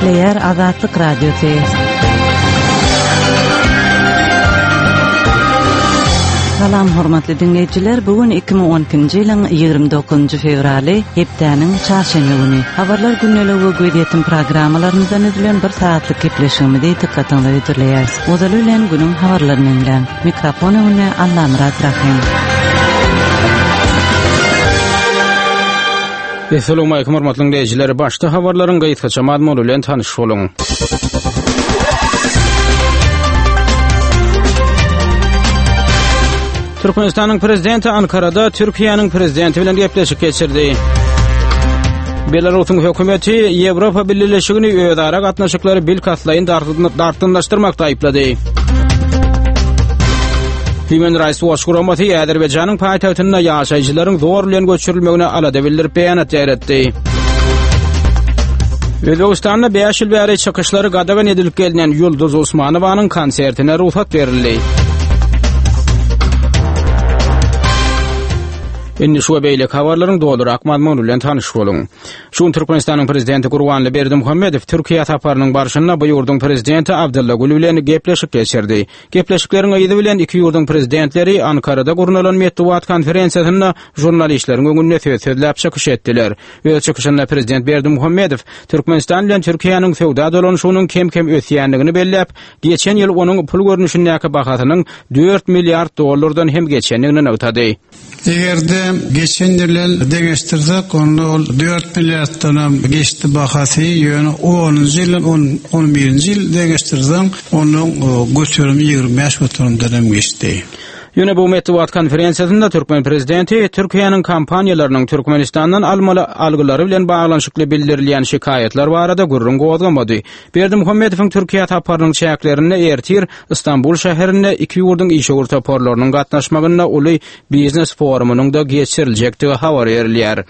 Gepleýär Azatlyk Radiosy. Salam hormatly diňleýjiler, bu gün 2012-nji ýylyň 29-njy fewraly, hepdäniň çarşenbe güni. Habarlar gündeligi we gözýetim programmalarymyzdan düzülen bir sagatlyk gepleşigimizi dykgatyňyza hödürleýäris. Ozaly bilen günüň habarlaryny diňläň. Mikrofon öňünde Allamyrat Rahym. Essalawmalikim hormatly diňleýjiler. Başda habarlaryň gysgaça mazmuny bilen tanyş boluň. Türkmenistanyň prezidenti Ankarada Türkiýäniň prezidenti bilen gepleşik geçirdi. Belarusyň hökümeti Ýewropa Bileleşigini özara gatnaşyklary bilkastlaýyn dartgynlaşdyrmakda aýyplady. Human Rights Watch guramasy Azerbaýjanyň paýtagtynda ýaşaýjylaryň zor bilen göçürilmegine alada bildirip beýanat ýaýratdy. Özbegistanda 5 ýyl bäri çykyşlary gadagan edilip gelnen Ýulduz Usmanowanyň konsertine rugsat berildi. Indi şu we beýleki habarlaryň dolurak mazmuny bilen tanyş boluň. Şu gün Türkmenistanyň Prezidenti Gurbanly Berdimuhamedow Türkiýä saparynyň barşynda bu ýurduň Prezidenti Abdylla Gül bilen gepleşik geçirdi. Gepleşikleriň yzy bilen iki ýurduň Prezidentleri Ankarada gurnalan metbugat konferensiýasynda žurnalistleriň öňünde söz sözläp çykyş etdiler. Öz çykyşynda Prezident Berdimuhamedow Türkmenistan bilen Türkiýäniň söwda dolanyşygynyň kem-kem ösýändigini belläp, geçen ýyl onuň pul görnüşindäki bahasynyň dört milliard dollardan hem geçendigini nygtady. Eger-de geçen ýyl bilen deňeşdirsek, onda ol dört milliarddanam geçdi bahasy, ýöne onunjy ýyl bilen on birinji ýyl deňeşdirseň, onuň göterimi 25 göterimden hem geçdi. Ýöne bu metbugat konferensiýasynda türkmen prezidenti Türkiýäniň kompaniýalarynyň Türkmenistandan almaly algylary bilen baglanyşykly bildirilýän şikaýatlar barada gürrüň gozgamady. Berdimuhamedowyň Türkiýä saparynyň çäklerinde ertir Stambul şäherinde iki ýurduň işewür toparlarynyň gatnaşmagynda uly biznes forumynyň-da geçiriljekdigi habar berilýär.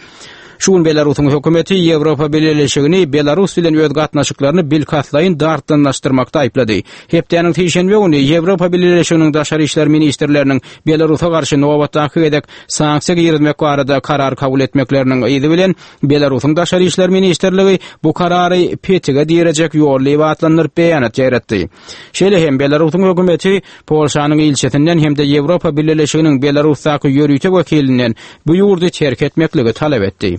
Şu gün Belarusyň hökümeti Ýewropa Bileleşigini Belarus bilen öz gatnaşyklaryny bilkastlaýyn dartgynlaşdyrmakda aýyplady. Hepdäniň sişenbe güni Ýewropa Bileleşiginiň daşary işler ministrleriniň Belarusa garşy nobatdaky gezek sanksiýa girizmek barada karar kabul etmekleriniň yzy bilen Belarusyň Daşary işler ministrligi bu karary petige direjek ýol diýip atlandyryp beýanat ýaýratdy. Şeýle hem Belarusyň hökümeti Polşanyň ilçisinden hem-de Ýewropa Bileleşiginiň Belarusdaky ýörite wekilinden bu ýurdy terk etmekligi talap etdi.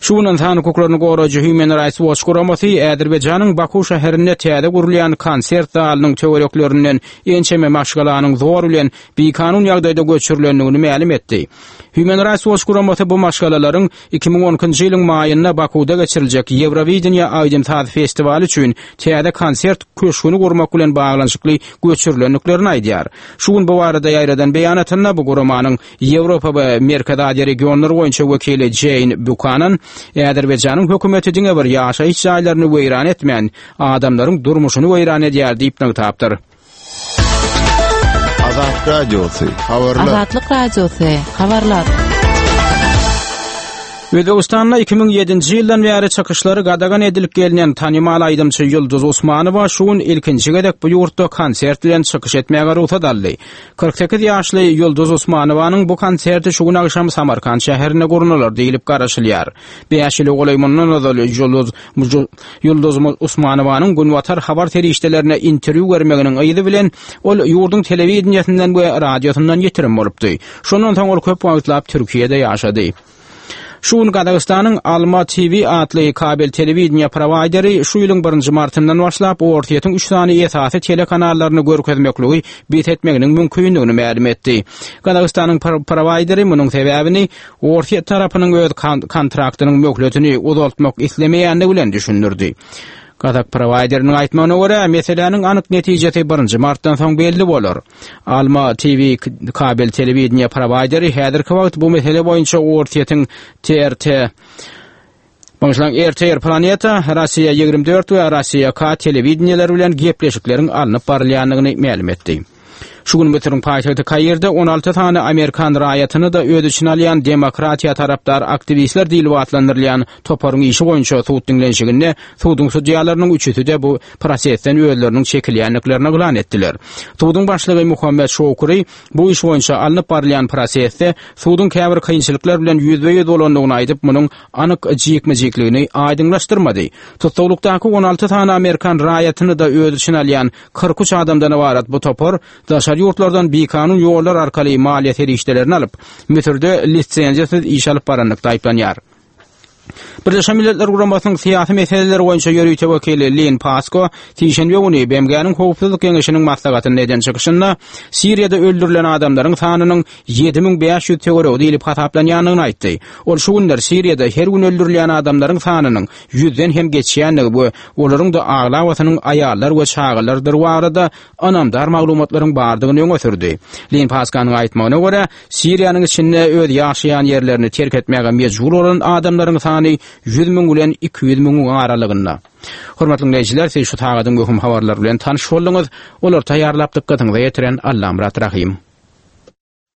Şu gün ynsan hukuklaryny goraýjy Human Rights Watch guramasy Azerbaýjanyň Baku şäherinde täze gurulýan konsert zalynyň töwereklerinden ençeme maşgalanyň zor bilen bikanun ýagdaýda göçürilendigini mälim etdi. Human Rights Watch guramasy bu maşgalalaryň 2012-nji ýylyň maýynda Bakuwda geçiriljek Ýewrowideniýe aýdym-saz festiwaly üçin täze konsert köşgüni gurmak bilen baglanyşykly göçürilendiklerini aýdýar. Şu gün bu barada ýaýradan beýanatynda bu guramanyň Ýewropa we Merkezi Aziýa regionlary boýunça wekili Jeýn Bukanan Azerbaýjanyň hökümeti diňe bir ýaşaýyş jaýlaryny weýran etmän, adamlaryň durmuşyny weýran edýär diýip nygtapdyr. Azat Radiosy, habarlar. Azatlyk Radiosy, habarlar. Özbegistanda 2007-nji ýyldan bäri çykyşlary gadagan edilip gelnen tanymal aýdymçy Ýulduz Usmanowa şu gün ilkinji gezek bu ýurtda konsert bilen çykyş etmäge rugsat aldy. 48 ýaşly Ýulduz Usmanowanyň bu konserti şu gün agşam Samarkant şäherinde gurnalar diýlip garaşylýar. Bäş ýyla golaý mundan ozal Ýulduz Ýulduz Usmanowanyň Günbatar habar serişdelerine interwýu bermeginiň yzy bilen ol ýurduň telewideniýesinden we radiosyndan ýitirim bolupdy. Şondan soň ol köp wagtlap Türkiýede ýaşady. Şu gün Gazagystanyň Alma TV atly kabel telewideniýe prowaýderi şu ýylyň birinji martyndan başlap Orsýetiň üç sany esasy telekanallaryny görkezmekligi bes etmeginiň mümkindigini mälim etdi. Gazagystanyň prowaýderi munuň sebäbini Orsýet tarapynyň öz kontraktynyň möhletini uzaltmak islemeýändigi bilen düşündirdi. Gazak prowaýderiniň aýtmagyna görä, meseläniň anyk netijesi birinji martdan soň belli bolar. Alma TV kabel telewideniýe prowaýderi häzirki wagt bu mesele boýunça Orsýetiň TRT Bagyşlaň, RTR Planeta, Rossiýa 24 we Rossiýa K telewideniýeleri bilen gepleşikleriň alnyp barylýandygyny mälim etdi. Şu gün Müsüriň paýtagty Kairde 16 sany amerikan raýatyny-da öz içine alýan demokratiýa tarapdar aktiwistler diýlip atlandyrylýan toparyň işi boýunça sud diňlenişiginde suduň sudýalarynyň üçüsi-de bu prosesden özleriniň çekilýändiklerini yglan etdiler. Suduň başlygy Muhammet Şoukry bu iş boýunça alnyp barylýan prosesde suduň käbir kynçylyklar bilen ýüzbe-ýüz bolandygyny aýdyp, munuň anyk jikme-jikligini aýdyňlaşdyrmady. Tussaglykdaky 16 sany amerikan raýatyny-da öz içine alýan 43 adamdan ybarat bu topar daşary ýurtlardan bikanun ýollar arkaly maliýe serişdelerini alyp, Müsürde lisenziýasyz iş alyp baranlykda aýyplanýar. Birleşen Milletler Guramasynyň syýasy meseleler boýunça ýörite wekili Lin Pasko sişenbe güni BMG-niň Howpsuzlyk Geňeşiniň maslahatynda eden çykyşynda Siriýada öldürilen adamlaryň sanynyň 7500 töweregi diýlip hasaplanýandygyny aýtdy. Ol şu günler Siriýada her gün öldürilýän adamlaryň sanynyň ýüzden hem geçýändigi we olaryň-da aglabasynyň aýallar we çagalardyr barada ynamdar maglumatlaryň bardygyny öňe sürdi. Lin Paskanyň aýtmagyna görä, Siriýanyň içinde öz ýaşaýan ýerlerini terk etmäge mejbur bolan adamlaryň sany 100 müň bilen 200 müňüň aralygynda. Hormatly diňleýjiler, siz şu sagadyň möhüm habarlary bilen tanyş bolduňyz. Olary taýýarlap dykgatyňyza ýetiren Allamyrat Rahym.